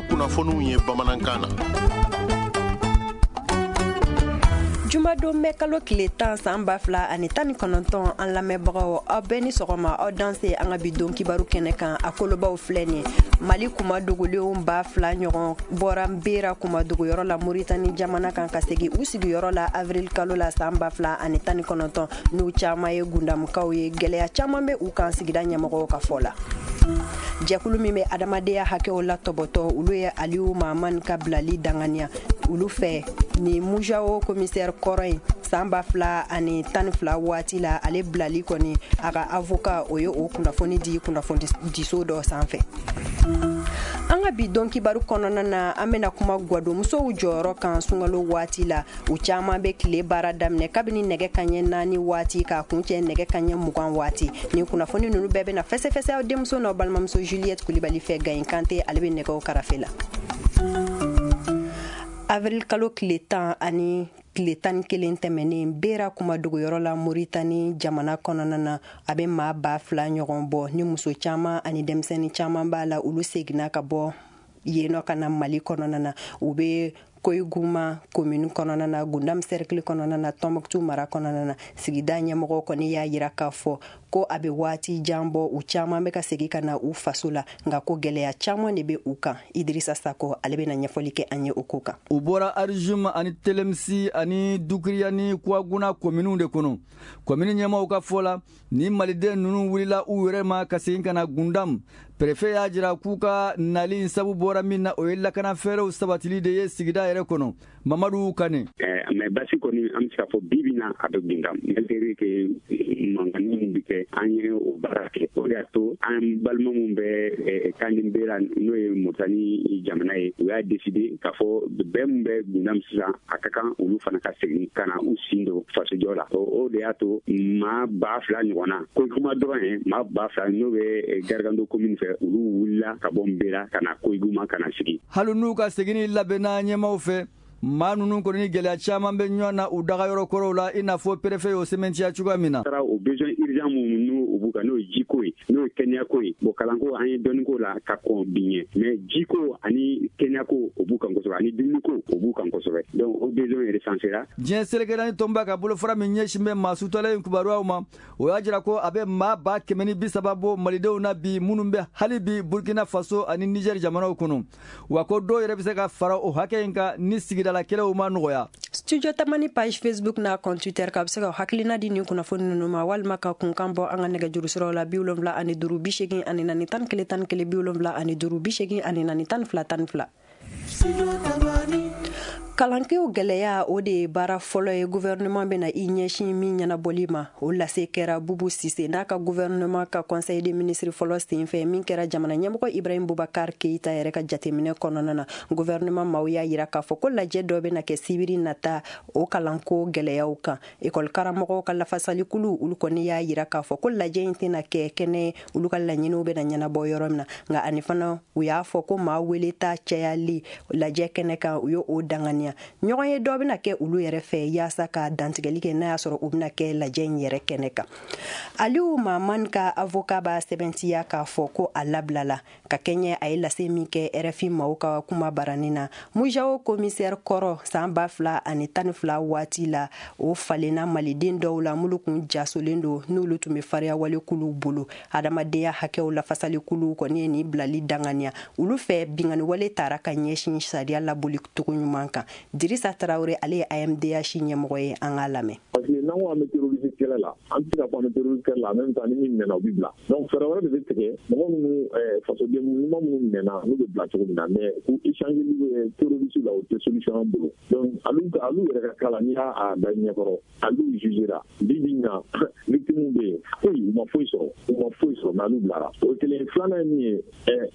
Kunnafoniw ye bamanankan na. Jumadon mɛ kalo tile 10 san 2019, an lamɛnbagaw, aw bɛɛ ni sɔgɔma, aw danse an ka bi don kibaru kɛnɛ kan. A kolobaw filɛ nin: Mali kuma dogolenw 2000 ɲɔgɔn bɔra Bera kuma dogoyɔrɔ la Moritani jamana kan ka segin u sigiyɔrɔ la avril kalo la san 2019. N'u caman ye Gundamukaw ye, gɛlɛya caman bɛ u kan, sigida ɲɛmɔgɔw ka fɔ la. Jɛkulu min bɛ adamadenya hakɛw la tɔbɔtɔ, olu ye Aliyu Mahamani ka bilali danganiya. Olu fɛ, ni MUJAO commissaire kɔrɔ in, san 2012 waati la, ale bilali kɔni, a ka avocat o ye o kunnafoni di kunnafoni diso dɔ sanfɛ. An ka bi dɔn kibaru kɔnɔna na, an bɛna kuma gwadonmusow jɔyɔrɔ kan sunkalo waati la. U caman bɛ tile baara daminɛ kabini nɛgɛ kaɲɛ 4 waati k'a kuncɛ nɛgɛ kaɲɛ 20 waati. Nin kunnafoni ninnu bɛɛ bɛna fɛsɛfɛsɛ aw denmuso n'aw balimamuso Juliette Kulibali fɛ. Gayin Kante, ale bɛ nɛgɛw karafe la. Avril kalo tile 10 ani tile 11 tɛmɛnen, Bera kuma dogoyɔrɔ la Moritani jamana kɔnɔna na, a bɛ maa 2000 ɲɔgɔn bɔ, ni muso caman ani denmisɛnnin caman b'a la. Olu seginna ka bɔ yen nɔ ka na Mali kɔnɔna na. U bɛ Koyiguma commune kɔnɔna na, Gundam cercle kɔnɔna na, Tombouctou mara kɔnɔna na. Sigida ɲɛmɔgɔ kɔni y'a yira k'a fɔ ko a bɛ waati jan bɔ, u caman bɛ ka segin ka na u faso la, nka ko gɛlɛya caman de bɛ u kan. Idirisa Sako, ale bɛna ɲɛfɔli kɛ an ye o ko kan. U bɔra Arijum ani Telemsi ani Dukiriya ni Kuwaguna kominiw de kɔnɔ. Komini ɲɛmaaw ka fɔ la, ni maliden ninnu wulila u yɛrɛ ma ka segin ka na Gundam. Préfet y'a jira k'u ka nali sabu bɔra min na, o ye lakana fɛɛrɛw sabatili de ye sigida yɛrɛ kɔnɔ. Mamadu Kane. Mais basi kɔni, an bɛ se k'a fɔ bi bi na, a bɛ Gundam, malgré que mankanni min bɛ kɛ, an ye o baara kɛ. O de y'a to an balima min bɛ Kandinbera, n'o ye Moritani jamana ye, u y'a décidé k'a fɔ bɛɛ min bɛ Gundam sisan, a ka kan olu fana ka segin ka na u sin don fasojɔ la. O de y'a to maa 2000 ɲɔgɔn na, Koyiguma dɔrɔn ye, maa 2000 n'o bɛ Gargando commune fɛ, olu wulila ka bɔ Nbera ka na Koyiguma ka na sigi. Hali n'u ka seginni labɛnna ɲɛmaaw fɛ, maa ninnu kɔni ni gɛlɛya caman bɛ ɲɔgɔn na u dagayɔrɔ kɔrɔw la, i n'a fɔ préfet y'o sɛmɛntiya cogoya min na. Taara o besoin urgent minnu n'u b'u kan, n'o ye jiko ye, n'o ye kɛnɛyako ye. Bon, kalanko, an ye dɔɔnin k'o la ka kɔn bi ɲɛ, mais jiko ani kɛnɛyako, o b'u kan kosɛbɛ, ani dumuniko, o b'u kan kosɛbɛ. Donc o besoin recensera. Diɲɛ seleke naani tɔnba ka bolofara min ɲɛsin bɛ maa sutalen kibaruyaw ma, o y'a jira ko a bɛ maa 130 000 bɔ malidenw na bi, minnu bɛ hali bi Burkina Faso ani Niger jamanaw kɔnɔ, wa ko dɔw yɛrɛ bɛ se ka fara o hakɛ in kan ni sigidala kɛlɛw ma nɔgɔya. Studio Tamani page Facebook n'a compte Twitter kan, a bɛ se ka hakilina di nin kunnafoni ninnu ma, walima ka kunkan bɔ an ka nɛgɛjuru siraw la: 75 84 11 11, 75 84 12 12. Kalankew gɛlɛya, o de ye baara fɔlɔ ye gouvernement bɛna i ɲɛsin min ɲɛnabɔli ma. O lase kɛra Bubu Sise n'a ka gouvernement ka conseil des ministres fɔlɔ senfɛ, min kɛra jamana ɲɛmɔgɔ Ibrahim Boubacar Keïta yɛrɛ ka jateminɛ kɔnɔna na. Gouvernement maaw y'a yira k'a fɔ ko lajɛ dɔ bɛna kɛ sibiri nata o kalanko gɛlɛyaw kan. Ekɔli karamɔgɔw ka lafasalikulu, olu kɔni y'a yira k'a fɔ ko lajɛ in tɛna kɛ kɛnɛ olu ka laɲiniw bɛna ɲɛnabɔ yɔrɔ min na. Nka ani fana, u y'a fɔ ko maa weleta cayali lajɛ kɛnɛ kan, u ye o danganiya. Ɲɔgɔn ye dɔ bɛna kɛ olu yɛrɛ fɛ yaasa ka dantigɛli kɛ n'a y'a sɔrɔ u bɛna kɛ lajɛ in yɛrɛ kɛnɛ kan. Aliyu Mahamani ka avocat b'a sɛbɛntiya k'a fɔ ko a labilala ka kɛɲɛ a ye lase min kɛ RFI maaw ka kuma barani na. MUJAO commissaire kɔrɔ, san 2012 waati la, o falenna maliden dɔw la minnu kun jasolen don, n'olu tun bɛ fariyawale kuluw bolo. Adamadenya hakɛw lafasali kuluw kɔni ye nin bilali danganiya. Olu fɛ, binkanni taara ka ɲɛsin sariya laboli cogo ɲuman kan. Dirisa Tarawele, ale ye AMDH ɲɛmɔgɔ ye, an k'a lamɛn. Parce que n'an ko an bɛ terrorisme kɛlɛ la, an tɛ se ka fɔ an bɛ terrorisme kɛlɛ la en même temps ni min minɛna, o bɛ bila. Donc fɛɛrɛ wɛrɛ de bɛ tigɛ, mɔgɔ minnu, fasoden ɲuman minnu minɛna, n'u bɛ bila cogo min na. Mais k'u échanger terroriste la, o tɛ solution an bolo. Donc alu yɛrɛ ka cas la, n'i y'a da ɲɛkɔrɔ, alu jugera bi bi in na, victime bɛ yen, foyi, u ma foyi sɔrɔ, u ma foyi sɔrɔ, mais alu bilara. O ye kelen. Filanan ye min ye,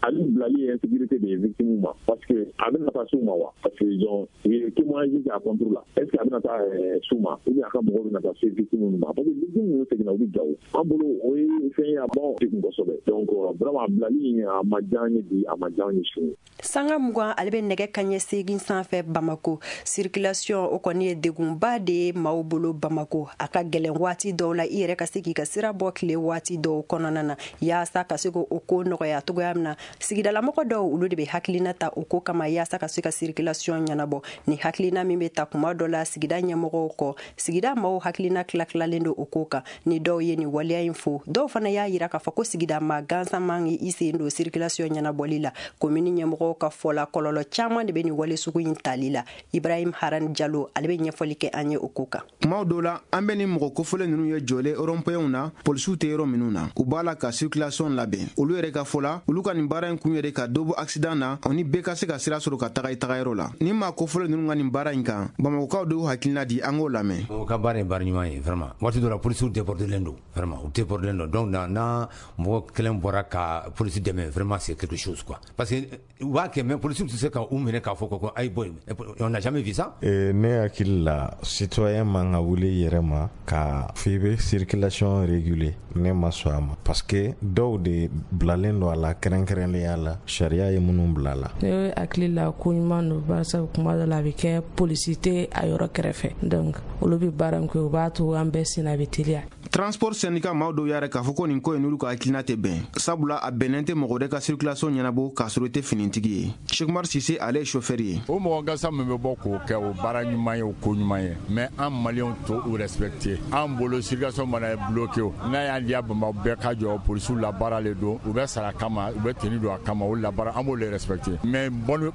alu bilali ye insécurité de ye victime ma, parce que a bɛna taa s'u ma wa? Parce que ils ont u ye témoignage kɛ a contre la. Est ce que a bɛna taa s'u ma, ou bien a ka mɔgɔw bɛna taa se victime ma? ma, parce que victime ninnu seginna, u bɛ Gawo. An bolo, o ye fɛn ye a b'anw degun kosɛbɛ. Donc vraiment, a bilali a ma diya an ye bi, a ma diya an ye sini. Sanga 20 ale bɛ nɛgɛ kaɲɛ 8 sanfɛ Bamako. Circulation, o kɔni ye degunba de ye maaw bolo Bamako. A ka gɛlɛn waati dɔw la i yɛrɛ ka se k'i ka sira bɔ tile waati dɔw kɔnɔna na. Yaasa ka se k'o ko nɔgɔya cogoya min na, sigidalamɔgɔ dɔw, olu de bɛ hakilina ta o ko kama yaasa ka se ka circulation ɲɛnabɔ. Ni hakilina min bɛ ta kuma dɔ la sigida ɲɛmɔgɔw kɔ, sigida maaw hakilina tila-tilalen don o ko kan. Ni dɔw ye nin waleya in fo, dɔw fana y'a yira k'a fɔ ko sigida maa gansan man i sen don circulation ɲɛnabɔli la. Komini ɲɛmɔgɔw ka fɔ la, kɔlɔlɔ caman de bɛ nin wale sugu in tali la. Ibrahim Haran Jalo, ale bɛ ɲɛfɔli kɛ an ye o ko kan. Kumaw dɔw la, an bɛ ni mɔgɔ kofɔlen ninnu ye jɔlen rond-point na, polisiw tɛ yɔrɔ minnu na, u b'a la ka circulation labɛn. Olu yɛrɛ ka fɔ la, olu ka nin baara in kun yɛrɛ ka dɔ bɔ accident na, o ni bɛɛ ka se ka sira sɔrɔ ka taga i tagayɔrɔ la. Ni maa kofɔlen ninnu ka nin baara in kan, Bamakɔkaw de y'u hakilina di, an k'o lamɛn. O ka baara ye baara ɲuman ye vraiment. Waati dɔ la, polisiw débordelen don vraiment, u débordelen don. Donc na mɔgɔ kelen bɔra ka polisi dɛmɛ, vraiment, c'est quelque chose quoi, parce que u b'a kɛ, mais polisiw tɛ se ka u minɛ k'a fɔ ko ayi bɔ yen. On n'a jamais vu ça. Ne hakili la, citoyen man ka wuli i yɛrɛ ma ka f'i bɛ circulation réguler. Ne ma sɔn a ma, parce que dɔw de bilalen don a la, kɛrɛnkɛrɛnnenya la sariya ye minnu bila a la. Ne hakili la, ko ɲuman don, barisa kuma dɔ la a bɛ kɛ polisi tɛ a yɔrɔ kɛrɛfɛ, donc olu bɛ baara min kɛ, o b'a to an bɛɛ sen a bɛ teliya. Transport syndicat maaw dɔw y'a yɛrɛ k'a fɔ ko nin ko in n'olu ka hakilina tɛ bɛn, sabula a bɛnnen tɛ mɔgɔ wɛrɛ ka circulation ɲɛnabɔ k'a sɔrɔ i tɛ finitigi ye. Sekumar Sise, ale ye chauffeur ye. O mɔgɔ gansan min bɛ bɔ k'o kɛ, o baara ɲuman ye, o ko ɲuman ye, mais an Maliyɛnw to u respecter. An bolo, circulation mana bloqué, o n'a y'an diya, Bamakɔ bɛɛ ka jɔ. Polisiw la baara le don, u bɛ sara kama, u bɛ tenue don a kama, o la baara, an b'o le respecter. Mais bonne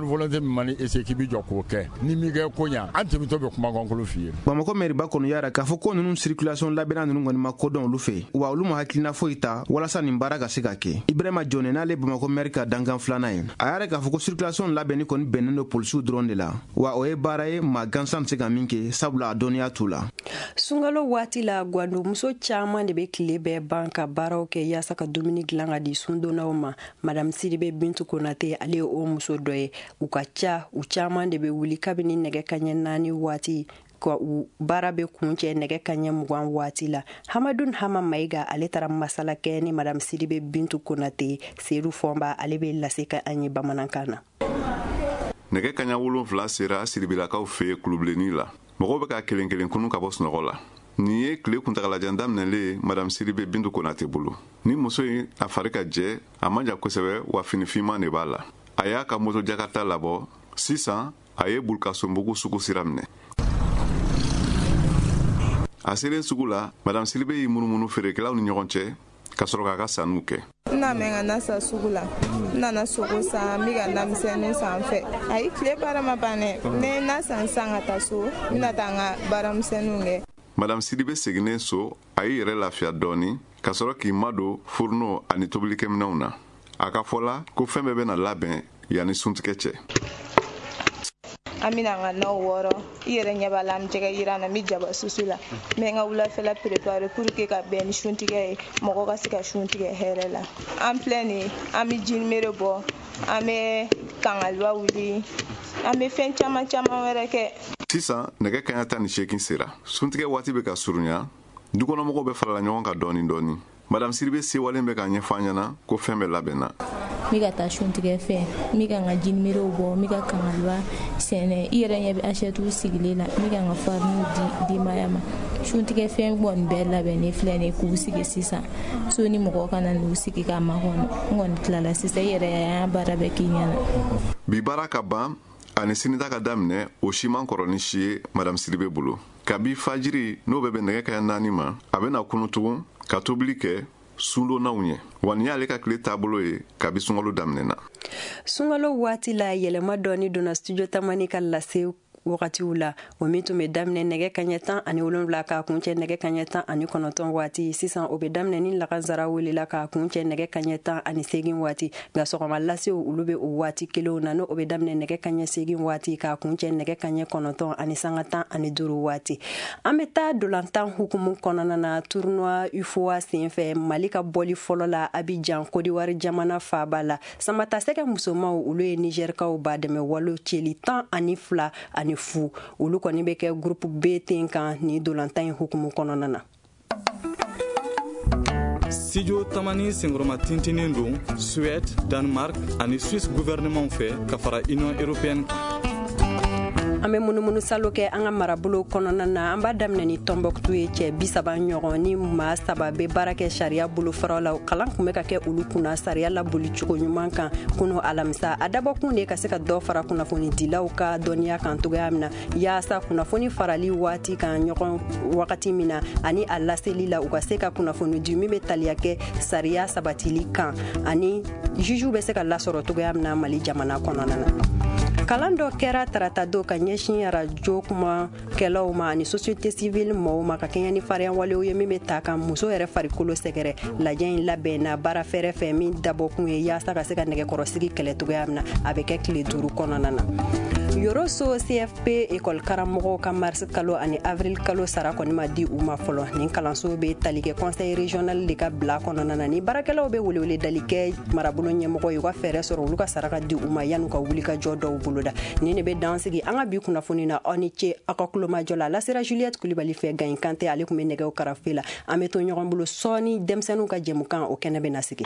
volonté min mana essayer k'i bɛ jɔ k'o kɛ, ni m'i kɛ ko ɲa, an tɛmɛtɔ bɛ kumakankolon f'i ye. Bamakɔ mɛriba kɔni y'a yira k'a fɔ ko ninnu circulation labɛnna ninnu kɔni ma kodɔn olu fɛ, wa olu ma hakilina foyi ta walasa nin baara ka se ka kɛ. Ibrahima Jɔnɛ, n'ale Bamakɔ mɛri ka dankan filanan ye, a y'a yɛrɛ k'a fɔ ko circulation labɛnni kɔni bɛnnen don polisiw dɔrɔn de la, wa o ye baara ye maa gansan tɛ se ka min kɛ, sabula a dɔnniya t'u la. Sunkalo waati la, gwandumuso caman de bɛ tile bɛɛ ban ka baaraw kɛ yaasa ka dumuni dilan ka di sundonnaw ma. Madame Sidibe Bintu Konate, ale ye o muso dɔ ye. U ka ca, u caman de bɛ wuli kabini nɛgɛ kaɲɛ 4 waati ka u baara bɛ kuncɛ nɛgɛ kaɲɛ 20 waati la. Hamadun Hama Mayiga, ale taara masala kɛ ni Madame Sidibe Bintu Konate. Sedu Fɔnba, ale bɛ lase ka an ye bamanankan na. Nɛgɛ kaɲa 7 sera Siribilakaw fɛ yen kulubilenni la. Mɔgɔw bɛ ka kelen kelen kunu ka bɔ sunɔgɔ la. Nin ye tile kuntagalajan daminɛlen ye Madame Sidibe Bintu Konate bolo. Ni muso in, a fari ka jɛ, a man jan kosɛbɛ, wa fini finman de b'a la. A y'a ka moto Jakarta labɔ sisan, a ye Bulukasonbugu sugu sira minɛ. A selen sugu la, Madame Sidibe y'i munumunu feerekɛlaw ni ɲɔgɔn cɛ ka sɔrɔ k'a ka sanniw kɛ. N na mɛn ka na sa sugu la, n nana sogo san, n bɛ ka namisɛnnin san fɛ. Ayi, tile baara ma ban dɛ. Ne na san san ka taa so, n bɛna taa n ka baaramisɛnninw kɛ. Madame Sidibe seginnen so, a y'i yɛrɛ lafiya dɔɔni ka sɔrɔ k'i madon fourneau ani tobilikɛminɛnw na. A ka fɔ la ko fɛn bɛɛ bɛna labɛn yanni suntigɛ cɛ. An bɛna an ka naw wɔrɔ. I yɛrɛ ɲɛ b'a la, an bɛ jɛgɛ yiran na, n bɛ jaba susu la, n bɛ n ka wulafɛla préparer pour que ka bɛn ni suntigɛ ye, mɔgɔ ka se ka suntigɛ hɛrɛ la. An filɛ nin ye, an bɛ jinimere bɔ, an bɛ kangaliba wuli, an bɛ fɛn caman caman wɛrɛ kɛ. Sisan nɛgɛ kaɲa 18 sera. Suntigɛ waati bɛ ka surunya, dukɔnɔmɔgɔw bɛ farala ɲɔgɔn kan dɔɔni dɔɔni. Madame Sidibe sewalen bɛ k'a ɲɛfɔ an ɲɛna ko fɛn bɛɛ labɛnna. N bɛ ka taa suntigɛ fɛ, n bɛ ka n ka jinimeriw bɔ, n bɛ ka kangaliba sɛnɛ. I yɛrɛ ɲɛ bɛ assiette sigilen la, n bɛ ka n ka fariniw di denbaya ma. Suntigɛ fɛn kɔni bɛɛ labɛnnen filɛ nin ye k'u sigi sisan. So ni mɔgɔw ka na n'u sigi k'a makɔnɔ. N kɔni tilala sisan, i yɛrɛ y'a baara bɛɛ k'i ɲɛna. Bi baara ka ban ani sinita ka daminɛ, o si man kɔrɔ ni si ye Madame Sidibe bolo. Kabi fajiri, n'o bɛ bɛn nɛgɛ kaɲa 4 ma, a bɛna kunu tugun ka tobili kɛ sundonnaw ɲɛ. Wa nin y'ale ka tile taabolo ye kabi sunkalo daminɛna. Sunkalo waati la, yɛlɛma dɔɔni donna Studio Tamani ka lase wagatiw la, o min tun bɛ daminɛ nɛgɛ kaɲɛ 17 k'a kuncɛ nɛgɛ kaɲɛ 19 waati. Sisan o bɛ daminɛ ni lagansara welela k'a kuncɛ nɛgɛ kaɲɛ 18 waati. Nka sɔgɔma lasew, olu bɛ o waati kelenw na, n'o bɛ daminɛ nɛgɛ kaɲɛ 8 waati k'a kuncɛ nɛgɛ kaɲɛ 9:15 waati. An bɛ taa dolantan hukumu kɔnɔna na. Tournoi UFOA senfɛ, Mali ka bɔli fɔlɔ la Abidjan, Côte d'Ivoire jamana faaba la, samatasɛgɛ musomaw, olu ye Nigɛrikaw ba dɛmɛ walo celi 12 ani 0. Olu kɔni bɛ kɛ groupe B ten kan ni dolantan in hukumu kɔnɔna na. Studio Tamani senkɔrɔma tintinen don Suède, Danemark ani Suisse gouvernement fɛ ka fara Union européenne kan. An bɛ munumunu salo kɛ an ka marabolo kɔnɔna na. An b'a daminɛ ni Tɔnbɔkutu ye. Cɛ 30 ɲɔgɔn ni maa 3 bɛ baara kɛ sariya bolofaraw la, kalan tun bɛ ka kɛ olu kunna sariya labolicogo ɲuman kan kunu alamisa. A dabɔkun de ka se ka dɔ fara kunnafonidilaw ka dɔnniya kan cogoya min na, yaasa kunnafoni farali waati kan ɲɔgɔn wagati min na ani a laseli la, u ka se ka kunnafoni di min bɛ taliya kɛ sariya sabatili kan ani jugew bɛ se ka lasɔrɔ cogoya min na Mali jamana kɔnɔna na. Kalan dɔ kɛra tarata don ka ɲɛsin arajo kumakɛlaw ma ani société civile mɔgɔw ma, ka kɛɲɛ ni farinya walew ye min bɛ ta ka muso yɛrɛ farikolo sɛgɛrɛ. Lajɛ in labɛnna baara fɛrɛ fɛ min dabɔkun ye yaasa ka se ka nɛgɛkɔrɔsigi kɛlɛ cogoya min na. A bɛ kɛ tile 5 kɔnɔna na. Yoroso CFP école karamɔgɔw ka mars kalo ani avril kalo sara kɔni ma di u ma fɔlɔ. Nin kalanso bɛ tali kɛ conseil régional de ka bila kɔnɔna na. Ni baarakɛlaw bɛ welewele kɛ marabolo ɲɛmɔgɔ ye, u ka fɛɛrɛ sɔrɔ olu ka sara ka di u ma yan'u ka wuli ka jɔ dɔw boloda. Nin de bɛ dan sigi an ka bi kunnafoni na. Aw ni ce aw ka kulomajɔ la. Lasera Juliette Kulibali fɛ, Gayin Kante ale tun bɛ nɛgɛw karafe la. An bɛ to ɲɔgɔn bolo sɔɔni, denmisɛnninw ka jɛmukan o kɛnɛ bɛ na sigi.